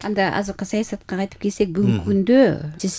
Анда азыркы саясатка кайтып келсек, бүгүнкү күндө сиз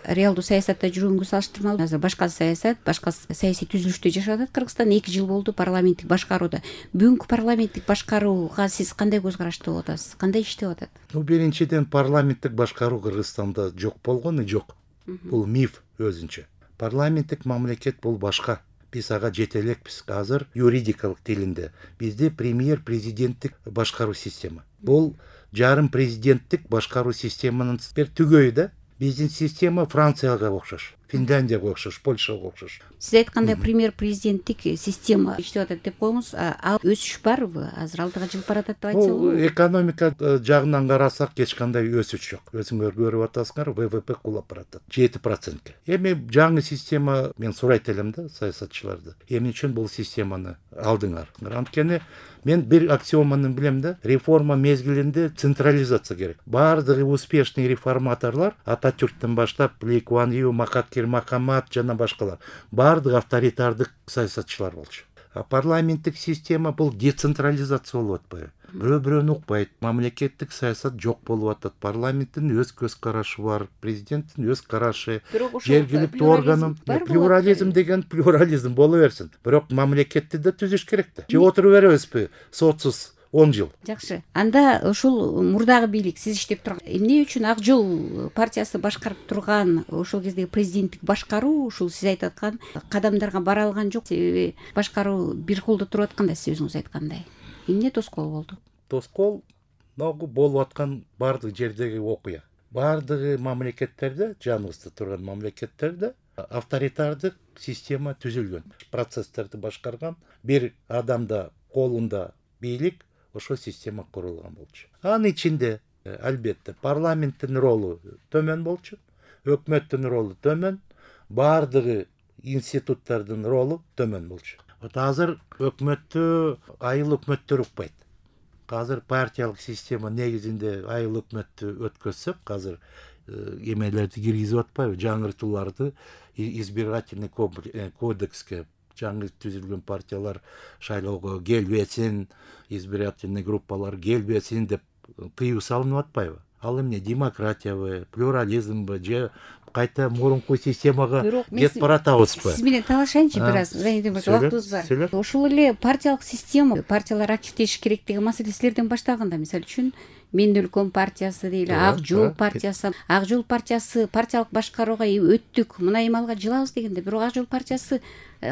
реалдуу саясатта жүргөнгө салыштырмалуу азыр башка саясат, башка саясий түзүлүштө жашап атат Кыргызстан. 2 жыл болду парламенттик башкарууда. Бүгүнкү парламенттик башкарууга сиз кандай көз карашта болуп атасыз? Кандай иштеп атат? Биринчиден, парламенттик башкаруу Кыргызстанда жок болгону жок. Бул миф өзүнчө. Парламенттик мамлекет бул башка. Биз ага жете элекпиз. Азыр юридикалык тилинде бизде премьер-президенттик башкаруу система. Бул жарым президенттик башкаруу системанын түгөйү да. Биздин система Францияга окшош, Финляндияга окшош, Польшага окшош. Сиз айткандай премьер-президенттик система иштеп атат деп коюңуз. Ал өсүш барбы? Азыр алдыга жылып баратат деп айтсак болобу? Экономика жагынан карасак эч кандай өсүш жок. Өзүңөр көрүп атасыңар, ВВП кулап баратат 7%. Эми жаңы система, мен сурайт элем да саясатчыларды. Эмне үчүн бул системаны алдыңар? Анткени мен бир аксиоманы билем да, реформа мезгилинде централизация керек. Баардыгы успешный реформаторлор, Ататюрктөн баштап Ли Куан Ю, Махатхир Мохаммад жана башкалар, баардыгы авторитардык саясатчылар болчу. Парламенттик система бул децентрализация болуп атпайбы? Бирөө-бирөөнү укпайт. Мамлекеттик саясат жок болуп атат. Парламенттин өз көз карашы бар, президенттин өз карашы, жергиликтүү органын плюрализм деген плюрализм боло берсин. Бирок мамлекетти да түзүш керек да. Же отуруп беребизби сотсуз 10 жыл? Жакшы. Анда ушул мурдагы бийлик сиз иштеп турган эмне үчүн Ак жол партиясы башкарып турган ошол кездеги президенттик башкаруу ушул сиз айтып аткан кадамдарга бара алган жок? Себеби башкаруу бир колдо туруп атканда, сиз өзүңүз айткандай. Эмне тоскоол болду? Тоскоол болуп аткан баардык жердеги окуя. Баардыгы мамлекеттерде, жаныбызда турган мамлекеттерде авторитардык система түзүлгөн. Процесстерди башкарган бир адамда колунда бийлик, ошол система курулган болчу. Анын ичинде албетте парламенттин ролу төмөн болчу, өкмөттүн ролу төмөн, баардыгы институттардын ролу төмөн болчу. Азыр өкмөттү айыл өкмөттөр укпайт. Азыр партиялык система негизинде айыл өкмөттү өткөзсөк, азыр эмелерди киргизип атпайбы? Жаңыртууларды избирательный кодекске жаңы түзүлгөн партиялар шайлоого келбесин, избирательный группалар келбесин деп тыюу салынып атпайбы? Ал эмне, демократиябы, плюрализмбы же кайта мурунку системага кетип баратабызбы? Сиз менен талашайынчы бир аз, убактыбыз бар. Ошол эле партиялык система, партиялар активдешиш керек деген маселе силерден башталганда, мисалы үчүн Менин өлкөм партиясы дейли, Ак жол партиясы, Ак жол партиясы партиялык башкарууга өттүк, мына эмалга жылабыз дегенде, бирок Ак жол партиясы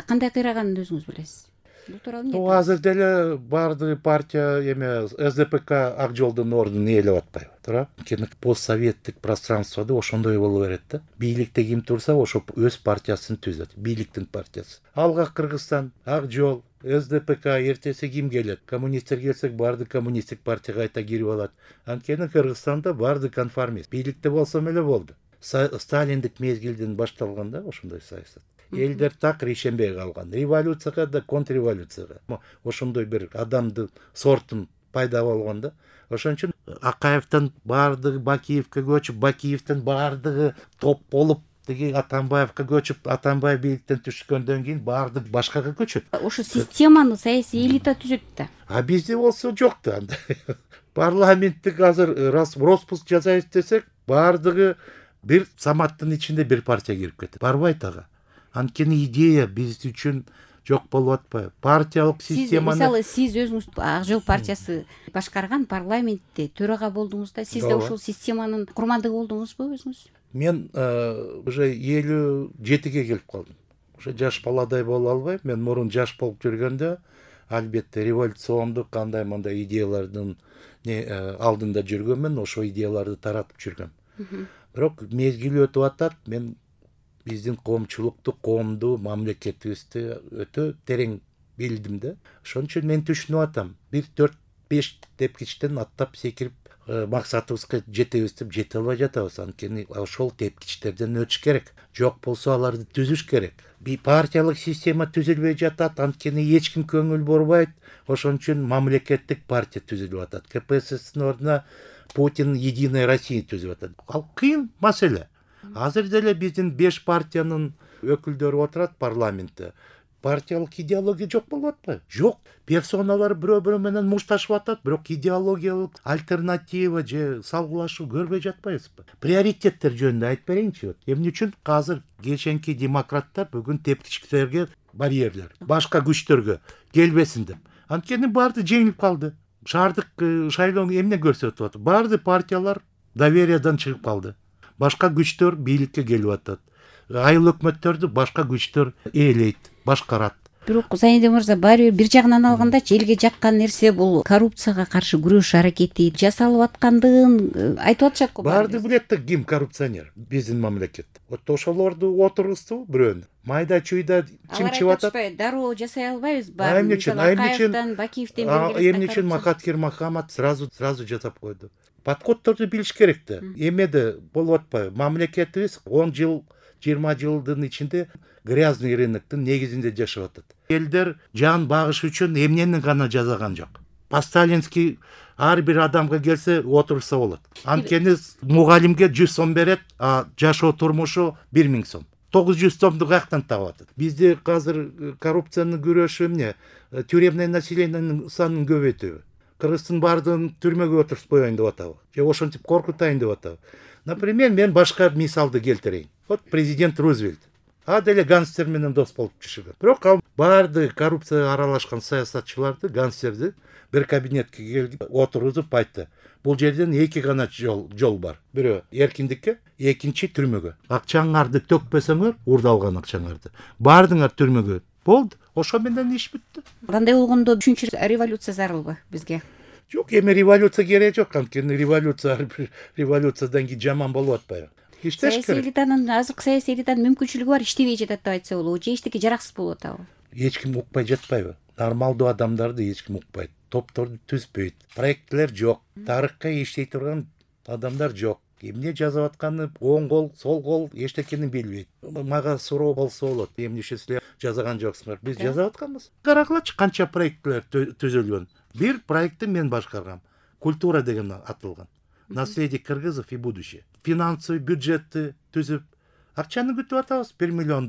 кандай кыйраганын өзүңүз билесиз. Бул тууралуу эмне? Азыр деле баардыгы партия эме СДПК Ак жолдун ордун ээлеп атпайбы, туура? Анткени постсоветтик пространствода ошондой боло берет да. Бийликте ким турса, ошо өз партиясын түзөт, бийликтин партиясы. Алга Кыргызстан, Ак жол, СДПК, эртеси ким келет? Коммунисттер келсек, баардык коммунисттик партияга кайта кирип алат. Анткени Кыргызстанда баардык конформист. Бийликте болсом эле болду. Сталиндик мезгилден башталганда ошондой саясат. Элдер так решенбей калган. Революцияга да контрреволюцияга. Ошондой бир адамдын сортун пайда болгон да. Ошон үчүн Акаевден баардыгы Бакиевке көчүп, Бакиевден баардыгы топ болуп, деги Атамбаевка көчүп, Атамбаев бийликтен түшкөндөн кийин баардык башкага көчөт. Ошо системаны саясий элита түзөт да. Бизде болсо жок да анда. Парламенттик азыр распуск жасайбыз десек, баардыгы бир саматтын ичинде бир партия кирип кетет. Барбайт ага. Анткени идея биз үчүн жок болуп атпайбы? Партиялык системаны... Мисалы, сиз өзүңүз Ак жол партиясы башкарган парламентте төрага болдуңуз да, сиз да ошол системанын курмандыгы болдуңузбу өзүңүз? Мен уже 57-ге келип калдым. Уже жаш баладай боло албайм. Мен мурун жаш болуп жүргөндө, албетте революциондук кандай мындай идеялардын алдында жүргөнмүн, ошо идеяларды таратып жүргөм. Бирок мезгили өтүп атат, мен биздин коомчулукту, коомду, мамлекетибизди өтө терең билдим да. Ошон үчүн мен түшүнүп атам. 1-4-5 тепкичтен аттап секирип максатыбызга жетебиз деп жете албай жатабыз. Анткени ошол тепкичтерден өтүш керек. Жок болсо аларды түзүш керек. Партиялык система түзүлбөй жатат, анткени эч ким көңүл бурбайт. Ошон үчүн мамлекеттик партия түзүлүп атат. КПССтин ордуна Путин Единая Россия түзүп атат. Ал кыйын маселе. Азыр деле биздин 5 партиянын өкүлдөрү отурат парламентте. партиялык идеология жок болуп атпайбы? Жок. Персоналар бирөө менен мушташып атат, бирок идеологиялык альтернатива же салгылашуу көрбөй жатпайбызбы? Приоритеттер жөнүндө айтып берейинчи. Эмне үчүн азыр кеченки демократтар бүгүн тептичкилерге барьерлер, башка күчтөргө келбесин деп. Анткени баарды жеңилип калды. Шаардык шайлоо эмне көрсөтүп атат? Баарды партиялар довериядан чыгып калды. Башка күчтөр бийликке келип атат. Айыл өкмөттөрдү башка күчтөр ээлейт, башкарат. Бирок Зайнидин мырза баары бир жагынан алганда элге жаккан нерсе бул коррупцияга каршы күрөш аракети жасалып аткандыгын айтып атышат го. Баарды билет да ким коррупционер биздин мамлекетте. Вот ошолорду отургузду бирөөнү. Майда чуйда чымчып атат. Дароо жасай албайбыз. Эмне үчүн Бакиевден эмне үчүн Макаткер Махамат сразу жасап койду. Подходдорду билиш керек да. Эмеде болуп атпайбы? Мамлекетибиз 10 жыл 20 жылдын ичинде грязный рыноктун негизинде жашап атат. Элдер жан багыш үчүн эмнени гана жасаган жок. По-сталински ар бир адамга келсе отурса болот. Анткени мугалимге 100 сом берет, а жашоо турмушу 1000 сом. 900 сомду каяктан таап атат? Бизде азыр коррупциянын күрөшү эмне? Тюремный населениянын санын көбөйтүүбү? Кыргыздын баардыгын түрмөгө отуруп коеюн деп атабы? Же ошентип коркутайын деп атабы? Например, мен башка мисалды келтирейин. Вот президент Рузвельт. Деле гангстер менен дос болуп жүргөн. Бирок ал баарды коррупцияга аралашкан саясатчыларды, гангстерди бир кабинетке келип отургузуп айтты. Бул жерден эки гана жол бар. Бирөө эркиндикке, экинчи түрмөгө. Акчаңарды төкпөсөңөр, урдалган акчаңарды. Баардыңар түрмөгө. Болду. Ошо менен иш бүттү. Кандай болгондо үчүнчү революция зарылбы бизге? Жок, эми революция кереги жок. Анткени революциядан кийин жаман болуп атпайбы? Саясий элитанын азыркы саясий элитанын мүмкүнчүлүгү бар, иштебей жатат деп айтса болобу, же эчтеке жараксыз болуп атабы? Эч ким укпай жатпайбы? Нормалдуу адамдарды эч ким укпайт. Топторду түзбөйт. Проекттер жок. Тарыхка иштей турган адамдар жок. Эмне жазып атканы оң кол, сол кол эчтекени билбейт. Мага суроо болсо болот. Эмне үчүн силер жазган жоксуңар? Биз жазып атканбыз. Карагылачы канча проекттер түзүлгөн. Бир проектти мен башкаргам. Культура деген атылган. Наследие кыргызов и будущее. Финансовый бюджетти түзүп, акчаны күтүп атабыз $1 миллион.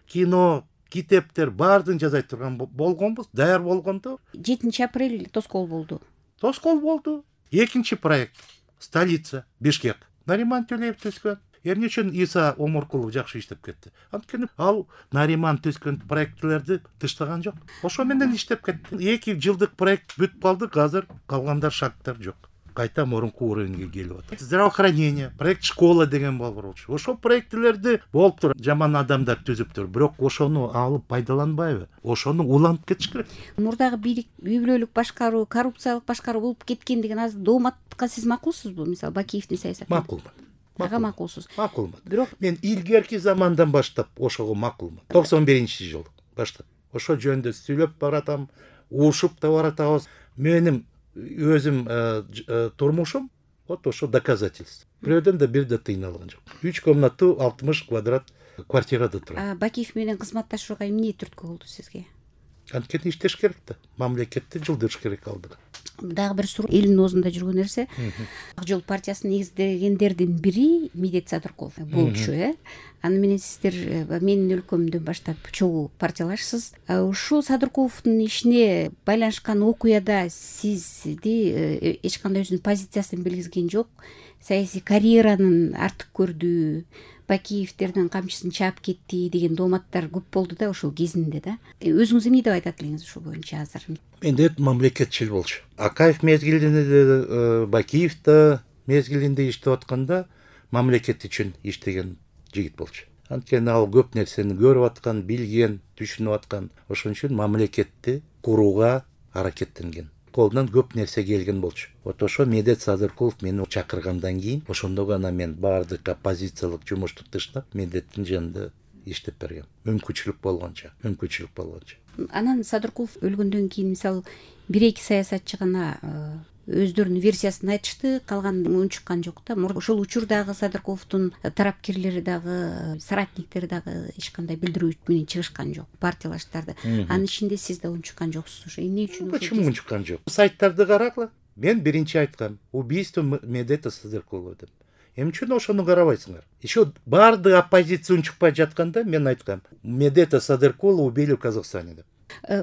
Кино, китептер баардыгын жазай турган болгонбуз, даяр болгондо 7 апрель тоскоол болду. Тоскоол болду. Экинчи проект столица Бишкек. Нариман Төлеев түзгөн. Эмне үчүн Иса Омуркулов жакшы иштеп кетти? Анткени ал Нариман түзгөн проектлерди тыштаган жок. Ошо менен иштеп кетти. 2 жылдык проект бүтүп калды, азыр калгандар шарттар жок. Кайта мурунку уровеньге келип атат. Здравоохранение, проект школа деген болчу. Ошо проектлерди болуптур, жаман адамдар түзүптүр. Бирок ошону алып пайдаланбайбы? Ошону улантып кетиш керек. Мурдагы бийлик үй бүлөлүк башкаруу, коррупциялык башкаруу болуп кеткендигин азыр дооматка сиз макулсузбу? Мисалы Бакиевдин саясаты. Макулмун. Ага, макулсуз. Макулмун. Бирок мен илгерки замандан баштап ошого макулмун. 91-жыл баштап. Ошо жөнүндө сүйлөп баратам, уушуп да баратабыз. Менин өзүм турмушум вот ошо доказательство. Бирөөдөн да бир да тыйын алган жок. 3 комнаттуу 60 квадрат квартирада турат. Бакиев менен кызматташууга эмне түрткү болду сизге? Анткени иштеш керек да. Мамлекетти жылдырыш керек алдыга. Дагы бир суроо, элдин оозунда жүргөн нерсе. Ак жол партиясын негиздегендердин бири Медет Садыркулов болчу, Аны менен сиздер менин өлкөмдөн баштап чогуу партиялашсыз. Ушул Садыркуловдун ишине байланышкан окуяда сизди эч кандай өзүнүн позициясын билгизген жок. Саясий карьеранын артып көрдү, Бакиевдердин камчысын чаап кетти деген дооматтар көп болду да ошол кезинде да. Өзүңүз эмне деп айтат элеңиз ушул боюнча азыр? Менде мамлекетчил болчу. Акаев мезгилинде, Бакиев да мезгилинде иштеп атканда мамлекет үчүн иштеген жигит болчу. Анткени ал көп нерсени көрүп аткан, билген, түшүнүп аткан. Ошон үчүн мамлекетти курууга аракеттенген. Колунан көп нерсе келген болчу. Вот ошо Медет Садыркулов мени чакыргандан кийин, ошондо гана мен баардык оппозициялык жумушту тыштап, Медеттин жанында иштеп бергем. Мүмкүнчүлүк болгончо. Анан Садыркулов өлгөндөн кийин мисалы 1-2 саясатчы гана өздөрүнүн версиясын айтышты, калган унчуккан жок да. Ошол учурдагы Садыркуловдун тарапкерлери дагы, соратниктери дагы эч кандай билдирүү менен чыгышкан жок, партиялаштарды. Анын ичинде сиз да унчуккан жоксуз. Ошо эмне үчүн? Почему унчуккан жок? Сайттарды карагыла. Мен биринчи айткам, убийство Медета Садыркулова деп. Эмне үчүн ошону карабайсыңар? Еще баардыгы оппозиция чыкпай жатканда мен айткам, Медета Садыркула убили в Казахстане деп.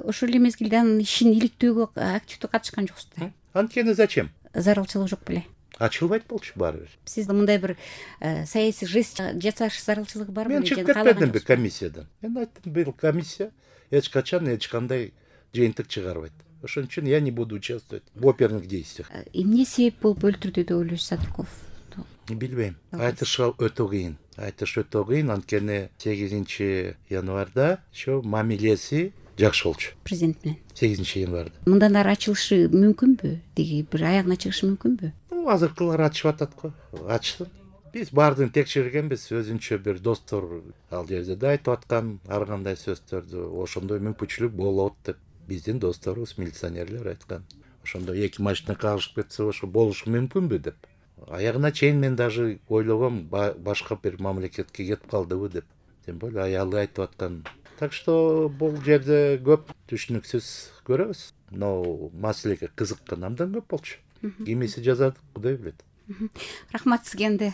Ошол эле мезгилде анын ишин иликтөөгө активдүү катышкан жоксуз. Анткени зачем? Зарылчылык жок беле? Ачылбайт болчу баары бир. Сиз мындай бир саясий жест жасаш зарылчылыгы барбы? Мен чыгып кетпедимби комиссиядан? Мен айттым, бул комиссия эч качан эч кандай жыйынтык чыгарбайт. Ошон үчүн я не буду участвовать в оперных действиях. Эмне себеп болуп өлтүрдү деп ойлойсуз Садыркулов? Билбейм. Айтыш өтө кыйын. Айтыш өтө кыйын, анткени 8 январда ошо мамилеси жакшы болчу. Президент менен. 8 январда. Мындан ары ачылышы мүмкүнбү? Деги бир аягына чыгышы мүмкүнбү? Азыркылар ачып атат го. Ачсын. Биз баардыгын текшергенбиз, өзүнчө бир достор ал жерде да айтып аткан ар кандай сөздөрдү, ошондой мүмкүнчүлүк болот деп биздин досторубуз, милиционерлер айткан. Ошондо 2 машина кагышып кетсе, ошо болушу мүмкүнбү деп. Аягына чейин мен даже ойлогом, башка бир мамлекетке кетип калдыбы деп. Тем более аялы айтып аткан. Так что бул жерде көп түшүнүксүз көрөбүз. Но маселеге кызыккан абдан көп болчу. Кимиси жазат, Кудай билет. Рахмат сизге.